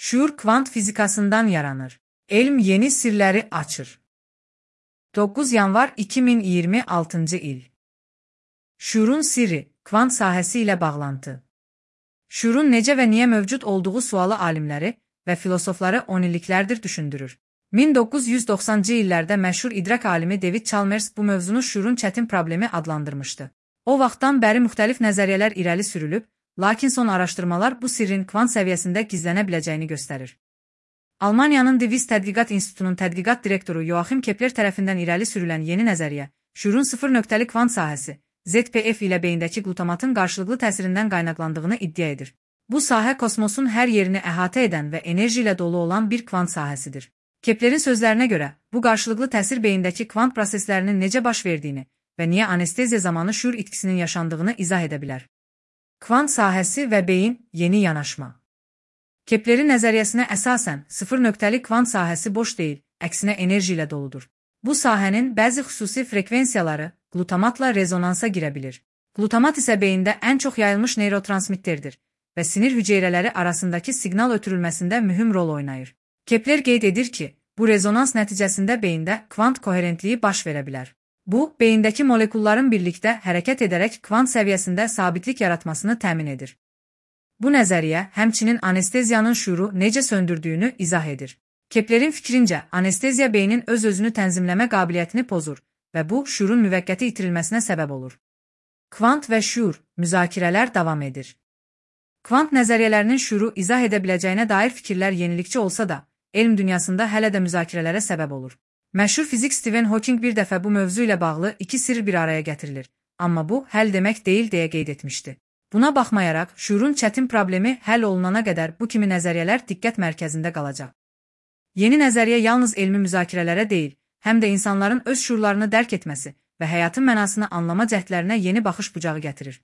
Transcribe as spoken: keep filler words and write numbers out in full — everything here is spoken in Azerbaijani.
Şuur kvant fizikasından yaranır. Elm yeni sirləri açır. doqquz yanvar iki min iyirmi altıncı il. Şuurun sirri, kvant sahəsi ilə bağlantı. Şuurun necə və niyə mövcud olduğu sualı alimləri və filosofları on illiklərdir düşündürür. min doqquz yüz doxsanıncı illərdə məşhur idrak alimi David Chalmers bu mövzunu şuurun çətin problemi adlandırmışdı. O vaxtdan bəri müxtəlif nəzəriyyələr irəli sürülüb, lakin son araşdırmalar bu sirrin kvant səviyyəsində gizlənə biləcəyini göstərir. Almaniyanın Divist Tədqiqat İnstitutunun tədqiqat direktoru Joachim Kepler tərəfindən irəli sürülən yeni nəzəriyyə, şuurun sıfır nöqtəli kvant sahəsi, Z P F ilə beyindəki glutamatın qarşılıqlı təsirindən qaynaqlandığını iddia edir. Bu sahə kosmosun hər yerini əhatə edən və enerji ilə dolu olan bir kvant sahəsidir. Keplerin sözlərinə görə, bu qarşılıqlı təsir beyindəki kvant proseslərinin necə baş verdiyini və niyə anesteziya zamanı şuur itkisinin yaşandığını izah edə bilər. Kvant sahəsi və beyin yeni yanaşma. Keplerin nəzəriyyəsinə əsasən sıfır nöqtəli kvant sahəsi boş deyil, əksinə enerji ilə doludur. Bu sahənin bəzi xüsusi frekvensiyaları glutamatla rezonansa girə bilir. Glutamat isə beyində ən çox yayılmış neyrotransmitterdir və sinir hüceyrələri arasındakı siqnal ötürülməsində mühüm rol oynayır. Kepler qeyd edir ki, bu rezonans nəticəsində beyində kvant koherentliyi baş verə bilər. Bu, beyindəki molekulların birlikdə hərəkət edərək kvant səviyyəsində sabitlik yaratmasını təmin edir. Bu nəzəriyyə həmçinin anesteziyanın şuuru necə söndürdüyünü izah edir. Keplerin fikrincə, anesteziya beynin öz-özünü tənzimləmə qabiliyyətini pozur və bu, şuurun müvəqqəti itirilməsinə səbəb olur. Kvant və şuur, müzakirələr davam edir. Kvant nəzəriyyələrinin şuuru izah edə biləcəyinə dair fikirlər yenilikçi olsa da, elm dünyasında hələ də müzakirələrə səbəb olur. Məşhur fizik Stephen Hawking bir dəfə bu mövzu ilə bağlı iki sirr bir araya gətirilir, amma bu, həll demək deyil deyə qeyd etmişdi. Buna baxmayaraq, şuurun çətin problemi həll olunana qədər bu kimi nəzəriyyələr diqqət mərkəzində qalacaq. Yeni nəzəriyyə yalnız elmi müzakirələrə deyil, həm də insanların öz şuurlarını dərk etməsi və həyatın mənasını anlama cəhdlərinə yeni baxış bucağı gətirir.